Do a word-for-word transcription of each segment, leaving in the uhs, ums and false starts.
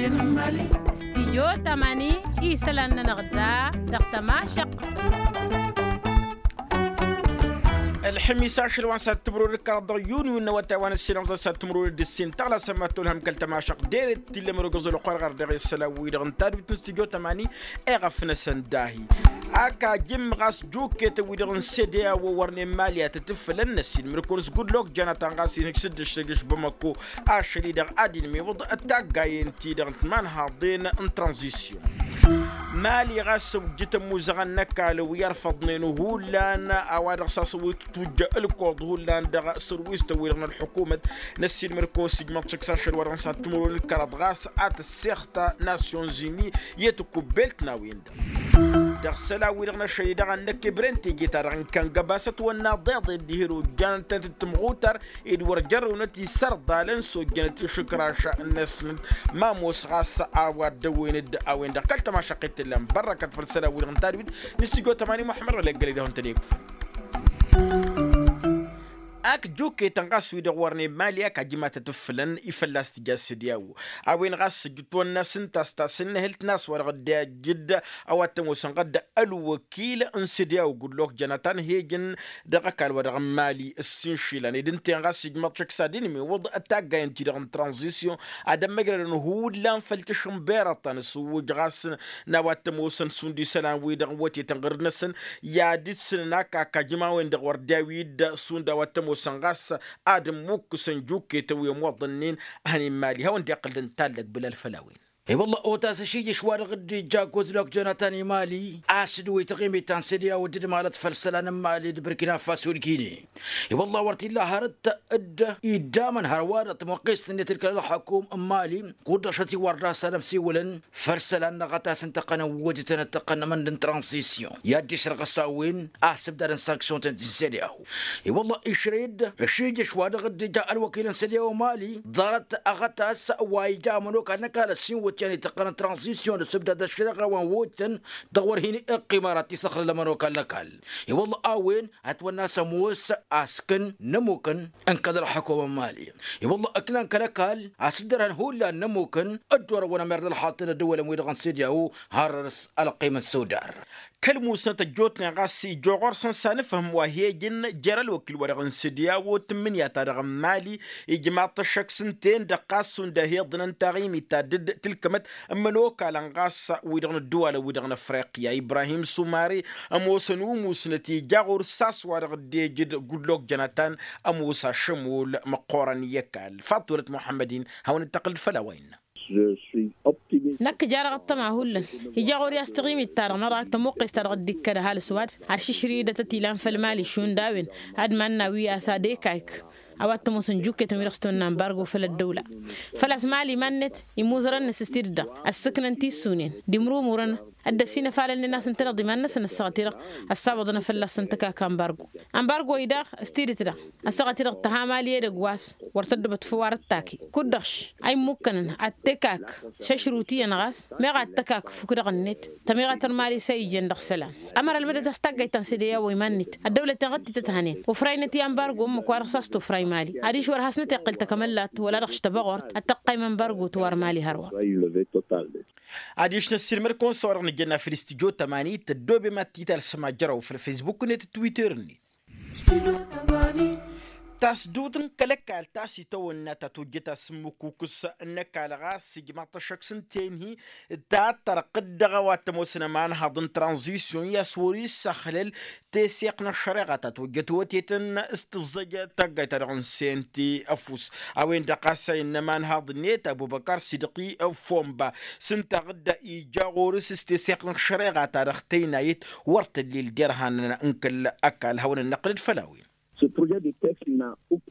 Stijyo tamani isălan-nănăɣ da dăɣ-tămašăq. Ălxămis ašăl wa n-sat timǝrwăd d-kăraḍ dăɣ-yuni wǝnnă wa taywan ăssinăɣ dăɣ-sat timǝrwăd d-ǝssin tăɣlasăm ma tolhăm kăl-tămašăq dere t-illăm rogăẓ ălxor ɣar dăɣ-isălan-wi-dăɣ n-tadbit n-stijyo tamani. Eɣăf-năsăn dahi ak ajǝmm ɣas juketăn-wi-dăɣ n-sede a-wăn wărnen mali ad-tăt-ǝffǝlăn n-ăssiilmǝr-kăwăn s-gudlok janatan ɣas inhǝj s-dd-ǝššăj s-bamako. Ašăl-i-dăɣ ad-inmiwǝḍ taggayen-ti-dăɣ n-timanhaḍen n-tranzisyon. Mali ɣas ăwjǝt ămmuzăɣăn n-ăkall wi ărfăḍnen hullan a-wa dăɣ-s a-s ăwwǝt tujjă ǝlkoḍ hullan dăɣ-sărwistăn-wi-dăɣ n-ălḥukumăt. N-ăssiilmăr-kăwăn s-ijmăḍ šăkk s-ašăl wa dăɣ-nǝsat timǝrwen d-kăraḍ ɣas ad-tǝssexta nasyon zini i-tǝkubbelt n-a-wen-dăɣ dăɣ-isălan-wi-dăɣ n-ašăl-i-dăɣ ad-năkk ibrentege-ta-dăɣ n-kăngăbasăt wănna ḍeḍen dihen ojjanăn-tăn-tǝttǝmɣutar ed wăr jărrǝwnăt isărḍalăn s-ojjănăt išǝkraš-năsnăt. Ma ămoos ɣas a-wa dd-ăwwen-dd a-wen-dăɣ kăl-tămašăqqet tǝllan bărrăkăt făll-isălan-wi-dăɣ n-tadwit n-istijjo tămani muḥămmăd wăla iggălăy d-ehun tăn-iyyăkfăn. Ak juketăn ɣas wi-dăɣ wărnen mali ak ajǝm ad-tăt-ǝffǝlăn i-fălla-s tǝja s-sediyawo. A-wen ɣas ǝjǝtwănna s-ǝnta a-s tasǝnnǝhǝlt n-a-s wa dăɣ-dd-ijǝd a-wa t-ămoosăn ɣǝdda ălwăkil n-sediyawo gudlok janatan hejăn dăɣ-ăkall wa dăɣ-n mali. Ǝssin išilan ed ǝnta-en ɣas ijmăḍ šăkk s-ad-inmiwǝḍ taggayăn-ti-dăɣ n-tranzisyon ad-ămmăjrădăn hullan făll-tǝšǝnberăḍ ta n-asǝwwǝj ɣas n-a-wa t-ămoosăn šund isălan-wi-dăɣ n-wătetăn ɣǝrǝd-năsăn. I-ad-ǝssǝnăn akak ajǝm a-wen-dăɣ wăr dd-awi-dd šund a-wa t-ămoosăn ɣas ad-ǝmmukkǝsăn juketăn wi ămoḍănnen. A hănen mali hawăn-dd-iqqǝl d-ǝntallăg bǝlal făll-a-wen. I-wălla otas ašijǝš wa dăɣ-dd-ija gudlok jonatan i-mali a-s dd-wi taɣimit ta n-sediyaw dd-malăt făll-isălan n-mali d-burkina faso d-gine. I-wălla wăr t-illa hărăt dd-iddamăn hărwa dăɣ-tămoqqest-net d-kăl-ălxăkum n-mali. Kud-dăɣ šăt-i wăr dasalăm s-iwǝlăn făll-isălan n-aɣătas n-tăqqăn n-wǝdǝtăn d-tăqqăn n-amănd n-tranzisyon i-ad-dd-išrăɣ s-a-wen a-s ǝbdadăn sanksyon-tăn-ti n-sediyaw. I-wălla išrăy-dd ašijǝš wa dăɣ-dd-ija ălwăkil n-sediyaw mali ḍarăt aɣătas wa ija ămănokal n-ăkall ăssiinwǝt i-ad-ităqqăn n-tranzisyon d-asǝbdad ăššăreɣa wa n-wǝdǝtăn. Dăɣ-wăr hin-iqqimăr ad-t-isăxlăl ămănokal n-ăkall. I-wălla a-wen ătwănna a-s ămoos askăn n-ămmukăn n-kăl-ălxăkum n-mali. I-wălla ǝknan kăl-ăkall a-s dd-ărhăn hullan n-ămmukăn dd-orăwăn ămerrăd ălxaṭṭăn ăddăwălăn-wi-dăɣ n-sediyaw. Hărăr s-ălqim n-sudar kăl-musnăt ăjjootnen ɣas ija ɣur-săn s-anǝfhǝm wa hi-ejăn jer-ălwăkil-wa-dăɣ n-sediyaw tǝmmǝnǝya-ta-dăɣ n-mali. Ijmaḍ-t ăššăk s-ǝnta-en-dăɣ ɣas šund a hi-iḍnăn taɣimit ta dd-tǝlkămăt ămănokalăn ɣas wi-dăɣ n-ăddăwalăn-wi-dăɣ n-afriqya ibrahim sumare. Ămoosăn umusnăt ija ɣur-s a-s wa dăɣ-dd-ejăd gudlok jănatan. Ămoos ašămol măqqoorăn i-ăkall faḍulăt muḥămmăd-in hawăn-dd-tăqqǝl d-făll-a-wa innă. Năkk ija-dăɣ ăṭṭăma hullan ija ɣur-i a-s taɣimit-ta-dăɣ n-ărak tămuqqes-ta-dăɣ dd-ikkăd ăhalǝs ăwadǝm. Ar šǝšrǝy-dd a tăt-ilan făll-mali šund a-wen ad-iman-nawi a-s ad-ekayk a-wa t-ămoosăn juketăn wi-dăɣ s-tăwănna ămbargo făll-ăddăwla. Făl-a-s mali iman-net imuzărăn-năs s-tidǝt-dăɣ ăssǝknăn tissunen d-imrumurăn dd-ăsinăfalălnen a-s ǝntăneḍ iman-năsăn ăssaɣăt-i-dăɣ ăssawăḍăn fălla-săn tǝkaka ămbargo. Ămbargo-i-daɣ s-tidǝt-dăɣ ăssaɣăt-i-dăɣ tăha mali edăgg wa s-wăr tăddăbăt făw ar ăttakǝy kud-dăɣ š-a immukănăn ad-tekak šăšrut iyyăn ɣas meɣ ad-tăkak fukk-dăɣ-net. Tămiɣatăn mali s-a ijăn dăɣ-isălan ămăra ălmădăt a-s taggayt ta n-sede i-a-wa iman-net ăddăwlăten ɣǝttităt hanen ufrăynăt i-ămbargo ǝmmǝk wa dăɣ-s a-s tufray mali adiš wăr hasnăt-iqqǝl takămăllat wăla dăɣ-š tăbăɣort ad-tăqqaym ămbargo tǝwar mali hărwa. Adiš n-ăssiilmăd-kăwăn s-a-wa dăɣ-nǝjănna făll-istijjo tămani tăddoobem ad-t-italsăm ajăraw făll-fesbuk-net d-twitter-net. Tasdut n-kăl-ăkall ta s-itawănna ta tojjăt asǝmmǝkukǝs n-ăkall ɣas ijmaḍ-t ăššăk s-ǝnta-en-hi ta tărqǝd dăɣ-a-wa t-ămoosăn ămanhaḍ n-tranzisyon i-a-s wăr-issăxlăl teseɣt n-ăššăreɣa ta tojjăt wătetăn s-tǝẓẓăj taggayt-ta-dăɣ n-sente ăfuss. A-wen-dăɣ ɣas a innă ămanhaḍ-net abubăkar sidăqi fomba s-ǝnta ɣǝdda ija ɣur-s s-teseɣt n-ăššăreɣa-ta-dăɣ tăynayăt wăr tăllil derhanăn n-kăl-ăkall hawăn-ănnăqqǝl-dd făll-a-wen.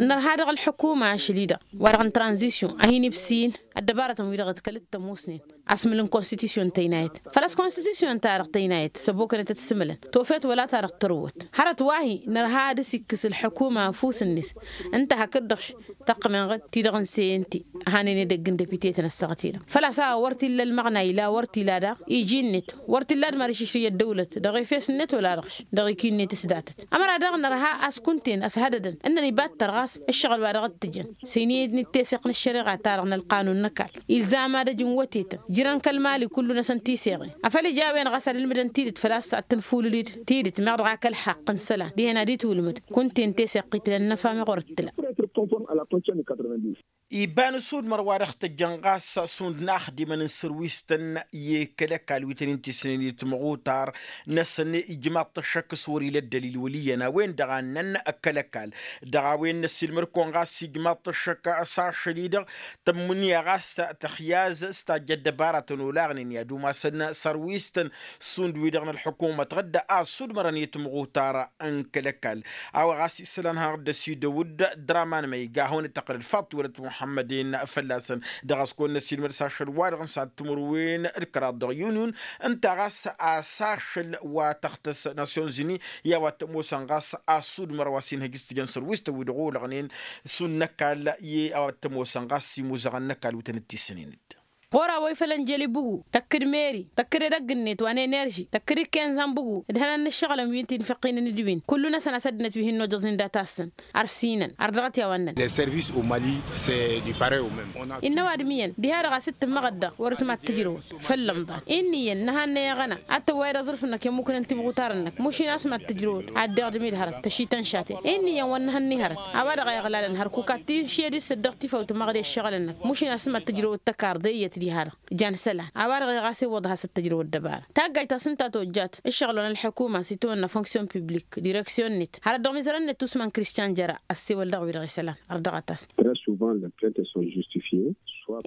Nărha dăɣ-ălḥukuma ašăl-i-dăɣ wa-dăɣ n-tranzisyon a hin-ibsin ăddăbarătăn-wi-dăɣ d-kăl-t-ămoosnen. Asmǝl n-konstitusyon tăynayăt făl-a-s konstitusyon-ta-dăɣ tăynayăt s-ăbokănăt ad-t-sǝmǝlăn tofet wăla-ta-dăɣ tărwăt. Hărăt wa-hi nărha ad-dăr-s ikkǝs ălḥukuma ăfuss-net. Ǝnta hakd-dăɣ-š tăqqǝm-enăɣ-dd ti-dăɣ n-seyente. Hanen edăgg n-depite-tăn ăssaɣăt-i-dăɣ făl-a-s a wăr t-illa ălmăɣna ila wăr t-ila daɣ iji-net wăr t-illa ad-mărišǝšrǝy ăddăwlăt dăɣ-efes-net wăla-dăɣ-š dăɣ-iki-net s-datăt. Ămăra daɣ nărha a-s kunta-en ăshădădăn ǝnnăn ibattăr ɣas ǝššăɣǝl wa dăɣ-dd-tǝjăn. Săyniyădnit teseɣt n-ăššăreɣa-ta-dăɣ n-ălqanun n-ăkall ilzam ad-ăj n-wătetăn. Ǝjrăn kăl-mali kullu-năsăn tiseɣen afăl ija a-wen ɣas ad-ǝlmǝdăn tidǝt făl-a-s ad-tǝnfulǝlid tidǝt meɣ dăɣ-akălxaqq n-isălan dihen ad-itwǝlmǝd. Kunta-en teseɣt itǝlăn n-ăfam iɣur ǝttǝla. Iba n-asudmăr wa dăɣ-tăjjăn ɣas šund n-axdimăn n-sărwistăn i-kăl-ăkall wi tăn-in-tisnen i-timɣutar-năsăn ijmaḍ-t ăššăk s-wăr-ila ăddălil wăl' iyyăn a-wen-dăɣ a ǝnnăn kăl-ăkall. Dăɣ-a-wen n-ăssiilmăd-kăwăn ɣas ijmaḍ-t ăššăk s-ašăl-i-dăɣ tămmǝnǝya ɣas tăxyaz s-tajja ăddăbaratăn olaɣnen i-ad-umasăn sărwistăn šund-wi-dăɣ n-ălḥukumăt ɣǝdda a ăssudmărăn i-timɣutar n-kăl-ăkall. A-wa ɣas isălan hanăɣ-dd-ăsidăw d-draman ma iga a hawăn-dd-tăqqălăd faḍt tiwălăt muḥămmăd-en fălla-săn. Dăɣ-a-s kăwăn-năssiilmăd s-ašăl wa-dăɣ n-sad timǝrwen d-kăraḍ dăɣ-yunun ǝnta ɣas a-s ašăl wa tăxtăs nasyonzini i-a-wa t-ămoosăn ɣas a ăssudmăr wa s-inhăj s-tǝjăn sărwistăn wi-dăɣ olăɣnen šund n-ăkall i-a-wa t-ămoosăn ɣas imuzăɣăn n-ăkall wi tăn-dd-tisǝnen-dd. Ɣur-a wa ifălăn jeli bugu tăkk-dd meri tăkk-dd edăgg-net wa n-enerži tăkk-dd ikken zanbugu d-hănan n-ǝššăɣǝlăn wi n-tinfăqqinen d-win kullu-năsăn a-s ăddinăt wi hin-nojăẓ-in data-săn. Ărsinăn ărdăɣăt i-a-wa ǝnnăn. Innă ăwadǝm iyyăn diha-dăɣ a-s dd-tǝmmăɣăd dăɣ-wăr-ǝtmat tǝjrăwăt făll-ămḍan. Inn'-iyyăn nǝhannăy aɣăna ad-tăwwayăd aẓrǝf-năk i-ămmuknen timɣutar-năk mušin a-s mad-tǝjrăwăt ad-dd-iɣdǝm-dd hărăt tăšităn šaten. Inn'-iyyăn wăr nǝhănni hărăt a-wa-dăɣ a iɣlalăn hărkuk ad-t-inšǝyăd s-ăddăɣ tifăw tǝmăɣde ǝššăɣǝlăn-năk mušin a-s mad-tǝjrăwăt tăkarḍe iyyăt diha-dăɣ. Jan isălan a-wa-dăɣ iɣas iwwăḍ has-ăttăjrăw ăddăbara taggajt ta s-ǝnta tojjat ǝššăɣǝl wa n-ălḥukuma s-itawănna fonksyon piblik direksyon-net har ăddăɣ mizărăn-net usman kristyan jăra. Ăssewăl dăɣ-wi-dăɣ isălan ărdăɣăt-as.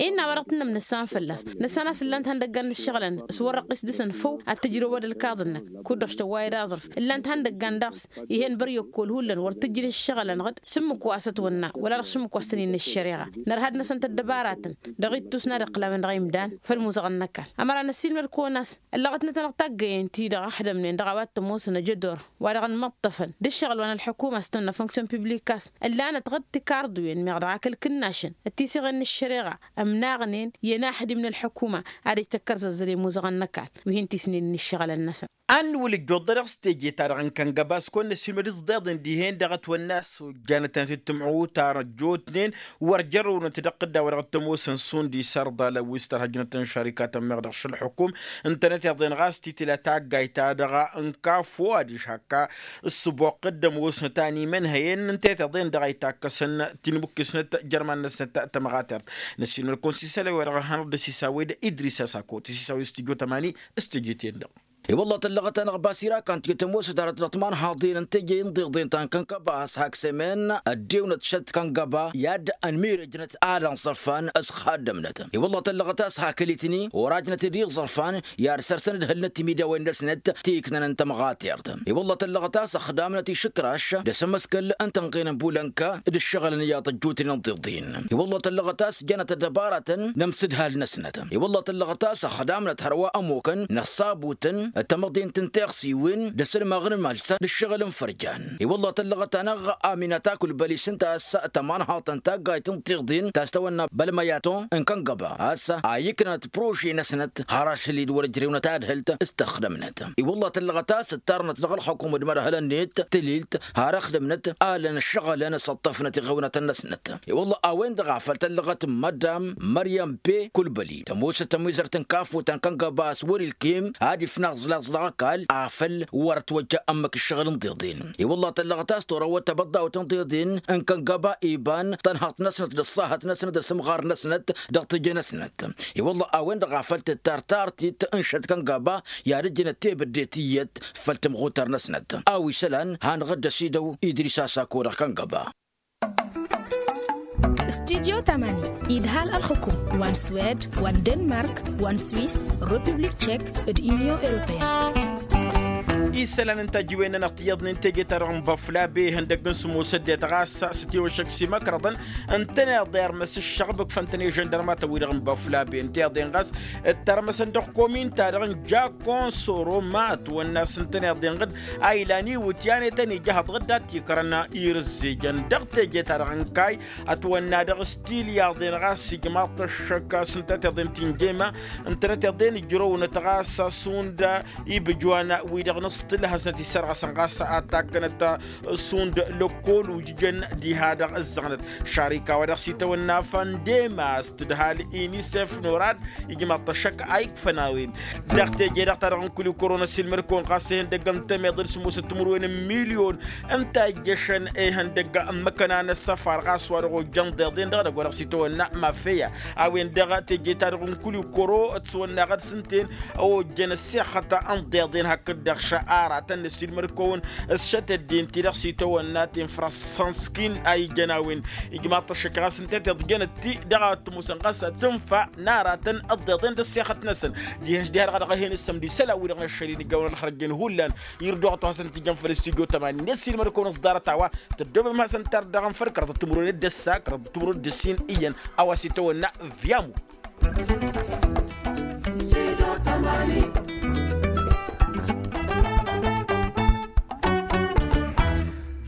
Innă a-wa dăɣ-tǝnnăm nǝssan fălla-s nǝssan a-s ǝllan-t ihăndăggan n-ǝššăɣǝlăn s-wăr-răqqis dăɣ-săn făw ad-tǝjrăwăd ǝlkaḍ-năk kud-dăɣ s-tăwwayăd aẓrǝf ǝllan-t ihăndăggan daɣ-s. Ih'-en băr i-ăkkol hullan wăr tǝjjǝn ǝššăɣǝlăn ɣǝd s-ǝmmǝk wa s-ătwănna wăla dăɣ-s ǝmmǝk wa s-tăn-innă ăššăreɣa. Nărha d-năsăn tăddăbaratăn dăɣ-ittus n-ad-iqqǝlawen dăɣ-imdan făll-imuzăɣăn n-ăkall ămăra năssiilmăd-kăwăn a-s ăllăɣătnăt-anăɣ taggăyen-ti-dăɣ ăxdămnen dăɣ-a-wa t-ămoosăn ajădor wa-dăɣ ănmăṭṭăfăn d-ǝššăɣǝl wa n-ălḥukuma s-tăwănna fonksyon piblik a-s ǝllanăt ɣǝd tikarḍuyen meɣ dăɣ-akăl kǝnnašăn d-tisiɣen n-ǝššăreɣa ămnaɣnen i-ănaxdim n-ălḥukuma ad-ăj tăkkărzăzzăl i-imuzăɣăn n-ăkall wi hin-tisnen n-ǝššăɣǝlăn-năsăn. Ad-nǝwǝl ǝjjuḍ-dăɣ s-teje-ta-dăɣ n-kăngăba s-kăwăn-năssiilmăd s-ḍeḍen dihen-dăɣ ătwănna a-s ojjanătnăt d-timɣutar ăjjootnen wăr jărrăwnăt dăɣ-tǝdda wa dăɣ-tămoosăn šund isărḍalăn wi s-tărhăjnăt n-šărikatăn meɣ dăɣ-šălḥukum. Ǝntănăt iḍen ɣas titǝla taggayt-ta-dăɣ n-kafo adiš hak-ăssuboqq d-ămoosnăt a n-imănhăyăn ǝnta i-tiḍen-dăɣ a itakkăsăn tinmukkǝsnăt jărman-năsnăt tămɣatert. Năssiilmăd-kăwăn s-isălan-wi-dăɣ hanăɣ-dd-ăsisawed idris asako tăsisawed s-tijot ămani s-teje-ten-dăɣ. I-wălla tăllăɣăt-anăɣ basira kan tijăt ămoosăt hărăt dăɣ-timanhaḍen n-teje n-iḍeḍen ta n-kănkăba a-s hak s-emen ăddewnăt šăt kănkăba i-ad-ănmirăjnăt ad-ănṣărfan s-ixaddămnăt. I-wălla tăllăɣăt a-s hakăl-itni orajnăt d-iẓărfan i-ad-săr-săn ǝdhǝlnăt timidawen-năsnăt ti iknăn n-tămɣatert. I-wălla tăllăɣăt a-s ăxdamnăt išǝkraš d-asămăskăl n-tănɣe n-ănbulănka d-ǝššăɣǝlăn iyyăḍ ăjjootnen n-tiḍin. I-wălla tăllăɣăt a-s jănăt ăddăbaratăn n-amsǝdhal-năsnăt. I-wălla tăllăɣăt a-s ăxdamnăt hărwa ămokăn n-ăṣṣabutăn d-tamăḍe n-tǝnteɣsiwen d-asălmaɣ n-imălsăn d-ǝššăɣǝl n-fărjan. I-wălla tăllăɣăt-anăɣ aminata kulbăli s-ǝnta a-s tămanhaḍt n-taggayt n-tiḍin ta s-tăwănna bălmăyaton n-kăngăba a-s a iknănăt prože-năsnăt har ašăl-i d-wăr-ǝjrewnăt adhǝlt s-tăxdămnăt. I-wălla tăllăɣăt a-s ǝttarnăt dăɣ-ălxukum d-imărhălăn-net tǝlilt har ăxdămnăt alăn ǝššăɣǝlăn s-ăṭṭăfnăt iɣewnătăn-năsnăt. I-wălla a-wen-dăɣ a făl tăllăɣăt madam măryăm pe kulbăli tămoosăt tămizărt n-kafut ta n-kăngăba a-s wăr-ilkem ad-ifnaẓ laẓ dăɣ-ăkall afăl wăr ătwăjja ămmăk ǝššăɣǝl n-iḍeḍen. I-wălla tăllăɣăt a-s turăwăt tabăḍḍawt n-iḍeḍen n-kăngăba iban tănhăḍt-năsnăt d-ăṣṣahăt-năsnăt d-asǝmɣar-năsnăt dăɣ-teje-năsnăt. I-wălla a-wen-dăɣ a făl tǝttar tartit n-šăt kăngăba i-ad-ǝjjǝnăt tebădde tiyyăt făll-timɣutar-năsnăt. A-wa isălan hanăɣ-dd-ăsidăw idris asako dăɣ-kăngăba. Studyo tamani idhal ălxukum wa n-swed wa n-denmark wa n-swis, republik tšek, d-inyon europeyăn. isălan n-tajǝwen-nănăɣ tiyyăḍnen teje-ta-dăɣ n-băflabe ihăndăgg n-sǝmmosăddet ɣas s-tiwăššăk s-imăkrăḍăn ǝntăneḍ irmăs ǝššăɣbǝk făntăn i-žăndărmatăn-wi-dăɣ n-băflabe ǝnta iḍen ɣas ǝttărmăsăn dăɣ-komin-ta-dăɣ n-jakko n-soro ma ătwănna s-ǝntăneḍ inɣǝd a ilan iwǝtyan i-tăn-ija hăḍɣǝd dat-tikrăn irǝzzejăn dăɣ-teje-ta-dăɣ n-kayy ătwănna dăɣ-s tilyaḍen ɣas ijmaḍ-t ăššăk s-ǝntăneḍ iḍen ti n-jema ǝntăneḍ iḍen ǝjrăwnăt ɣas šund ibǝjwan-wi-dăɣ n-s tǝlhăsnăt isărɣăsăn ɣas ad-takkănăt šund lăkkol ujǝjăn diha-dăɣ ǝzzăɣnăt šarika-wa-dăɣ s-itawănna făndema s-tǝdhal inisef norad ijmaḍ-t ăššăk a ikfăn a-wen dăɣ-teje-dăɣ-ta-dăɣ n-kuli kăro n-ăsilmăd-kăwăn ɣas ihăndăgg n-temeḍ d-sǝmmosăt timǝrwen n-milyon ǝnta ijjăšăn ihăndăgg n-imăkăna n-ăssăfar ɣas wa dăɣ-ojjăn ḍeḍen dăɣ-edăgg wa dăɣ-s itawănna mafeya a-wen-dăɣ teje-ta-dăɣ n-kuli kăro ătwănna ɣad s-ǝnten ojjăn ăssixăt n-ḍeḍen hakd-dăɣ šăɣ aratăn n-ăsilmăd-kăwăn ǝššăt ăddin-ti-dăɣ s-itawănna tinfrăssanski a ijăn a-wen ijmaḍ-t ăššăk ɣas ǝnta tiḍjănăt-ti dăɣ-a ăttămusăn ɣas tǝnfa n-aratăn ăḍḍeḍen d-ăssixăt-năsăn dihen-s diha-dăɣ a dăɣ-ehen ǝssămd isălan-wi-dăɣ n-ăššăl-in ǝjjawăn ălxărăjjăn hullan irduɣăt wa hasăn-t-ijăn făll-stujo tămani n-ăssiilmăd-kăwăn ăṣḍarăt a-wa tăddoobem hasăn-t ardăɣăn făll-kăraḍăt timǝrwen d-ăssa kăraḍăt timǝrwen d-ăssin iyyăn a-wa s-itawănna vyamu.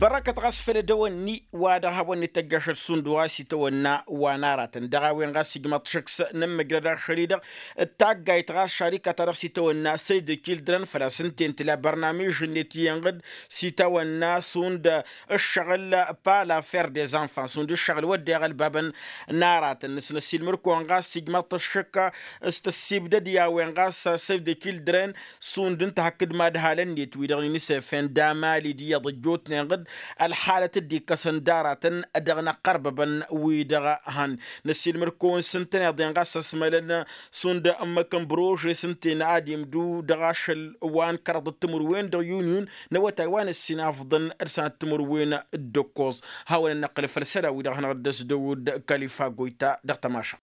Bărăkăt ɣas făll-edăwănni wa dăɣ-hawăn-net tăjjašăt šund wa s-itawănna wa n-aratăn dăɣ-a-wen ɣas ijmăḍ-t šăkk s-nǝmmăjrăd ašăl-i-dăɣ d-taggayt ɣas šarika-ta-dăɣ s-itawănna săy de kildrăn făl-a-s ǝnta-en tǝla bărnamij-net iyyăn ɣǝd s-itawănna šund ǝššăɣǝl pala fer des enfants šund ǝššăɣǝl wădden ălbabăn n-aratăn nǝsnăsilmăd-kăwăn ɣas ijmăḍ-t ăššăk s-tăssibdăd i-a-wen ɣas săy de kildrăn šund ǝnta hakd madhalăn-net wi-dăɣ n-inisefen d-amalid iyyăḍ ăjjootnen ɣǝd ălxalăt dd-ikkăsăn d-aratăn dăɣ-inăqqărbăbăn wi-dăɣ hăn năsilmăd-kăwăn s-ǝntăneḍ-en ɣas ăsmălăn šund ǝmmǝk n-bărože s-ǝnta-en ad-imdǝw dăɣ-ašăl wa n-kăraḍăt timǝrwen dăɣ-yuniyun n-awătay wa n-ǝssin afḍăn d-sănăt timǝrwen d-ǝkkoẓ. Hawăn-ănnăqqǝl făll-isălan-wi-dăɣ hanăɣ-dd-ăsdăwǝd kalifa goyta dăɣ-tămaša.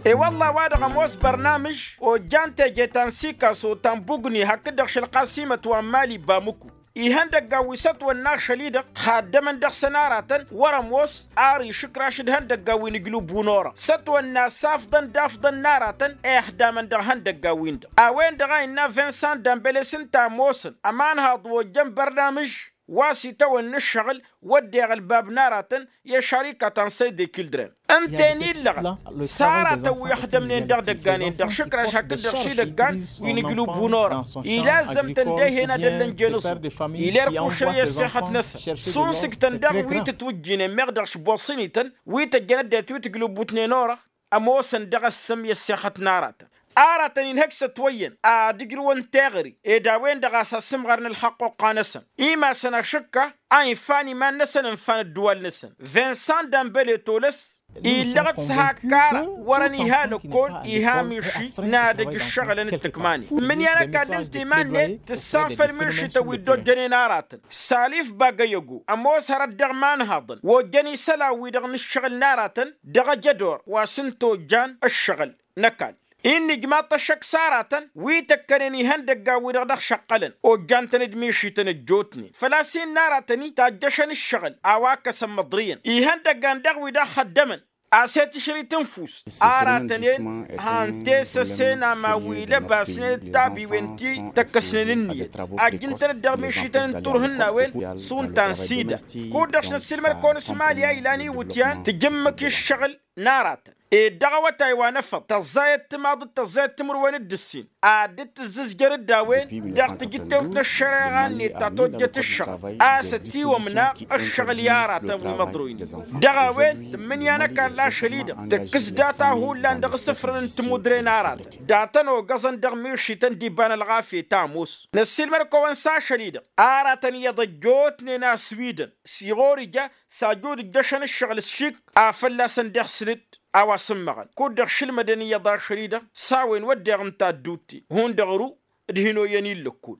E-wălla a-wa-dăɣ ămoos bărnamǝž ojjan teje ta n-sikaso ta n-bugni hakd-dăɣ šălqasimăt wa n-mali bamǝku ihăndăggan wi s-ătwănna ašăl-i-dăɣ haddămăn dăɣ-săn aratăn wăr-ămoos ar išǝkraš d-ihăndăggan wi n-ǝjlǝbbu n-orăɣ s-ătwănna s-afḍăn d-afḍăn n-aratăn ixdamăn dăɣ-ihăndăggan-win-dăɣ a-wen-dăɣ a innă vinsan dambăle s-ǝnta ămoosăn ămanhaḍ ojjăn bărnamǝž wa s-itawănna ǝššăɣǝl wădden ălbab n-aratăn i-ašarika ta n-săy de kildrăn ǝnta-en illăɣăt s-aratăn wi ăxdămnen dăɣ-idăggan-en-dăɣ išǝkraš hakd-dăɣ šidăggan wi n-ǝjlǝbbu n-orăɣ ila ăzzămtăn d-ehena d-ăllănjen ǝẓǝm ila irkušăn i-ăssixăt-năsăn šunsiktăn daɣ wi tǝtwǝjjǝynen meɣ dăɣ-išboṣăn-ităn wi tăjjăn ăddinăt wi tǝjlǝbbutnen orăɣ ămoosăn dăɣ-ăssǝm i-ăssixăt n-aratăn aratăn-in hăkk s-ătwăyyăn ad-ǝjrǝwăn teɣăre ed a-wen-dăɣ a-s asǝmɣărăn ălxăqquqqa-năsăn imasăn ašǝkka a infan iman-năsăn ǝnfan ăddǝwal-năsăn vinsan dambăle tolăs illăɣăt s-hak ara wărăn iha lăkkol iha miši n-ad-ăj ǝššăɣǝlăn d-tǝkmanen mǝnyan ăkall ǝnta iman-net tǝssan făll-mišităn wi dd-ojjănen aratăn salif bagăyăgo ămoos hărăt dăɣ-imanhaḍăn ojjăn isălan-wi-dăɣ n-ǝššăɣǝl n-aratăn dăɣ-ajădor wa s-ǝnta ojjan ǝššăɣǝl n-ăkall. Innă ijmaḍ-t ăššăk s-aratăn wi tăkkănen ihăndăggan-wi-dăɣ dăɣ-šăqqălăn ojjan-tăn d-mišităn ăjjootnen făl-a-s innă aratăn-i tajjăšăn ǝššăɣǝl a-wa ǝkkăsăn măḍrǝyăn ihăndăggan daɣ wi daɣ xăddămăn a-s i-tišrit n-fust aratăn-en han tesăsen aman wi lăbasnen d-tabiwen ti tăkkăsnen ǝnniyăt ajjǝn-tăn-dd dăɣ-mišităn n-turhǝnnawen šund ta n-sida kud-dăɣ s-năssiilmăd-kăwăn s-mali a ilan iwǝtyan tǝjǝmmǝk i-ǝššăɣǝl n-aratăn ed dăɣ-awătay wa n-efăḍ tăẓẓayăt timaḍ d-tăẓẓayăt timǝrwen d-ǝssin ad-dd-tǝzzǝzjăr d-a-wen dăɣ-tijǝttewt n-ăššăreɣa-net ta tojjăt ǝššăɣǝl a-s ătiwămna ǝššăɣǝl i-aratăn wi măḍroynen dăɣ-a-wen tǝmmǝnǝya n-ăkall ašăl-i-dăɣ tǝkkǝs data hullan dăɣ-isǝfrăn n-timudre n-aratăn datăn ogăẓăn dăɣ-mišităn d-iba n-ălɣafyăt a ămoos năssiilmăd-kăwăn s-ašăl-i-dăɣ aratăn iyyăḍ ăjjootnen a-s wi-dăn s-iɣor ija s-ajud ǝjjăšăn ǝššăɣǝl s-šik a fălla-săn deɣ sǝlǝd a-wa s-ǝmmăɣăn kud-dăɣ šǝlmădăn iyyăḍ ašăl-i-dăɣ s-a-wen wădden ǝnta ădduutte hundăɣ ru d-hin-oyyăn-in lăkkul.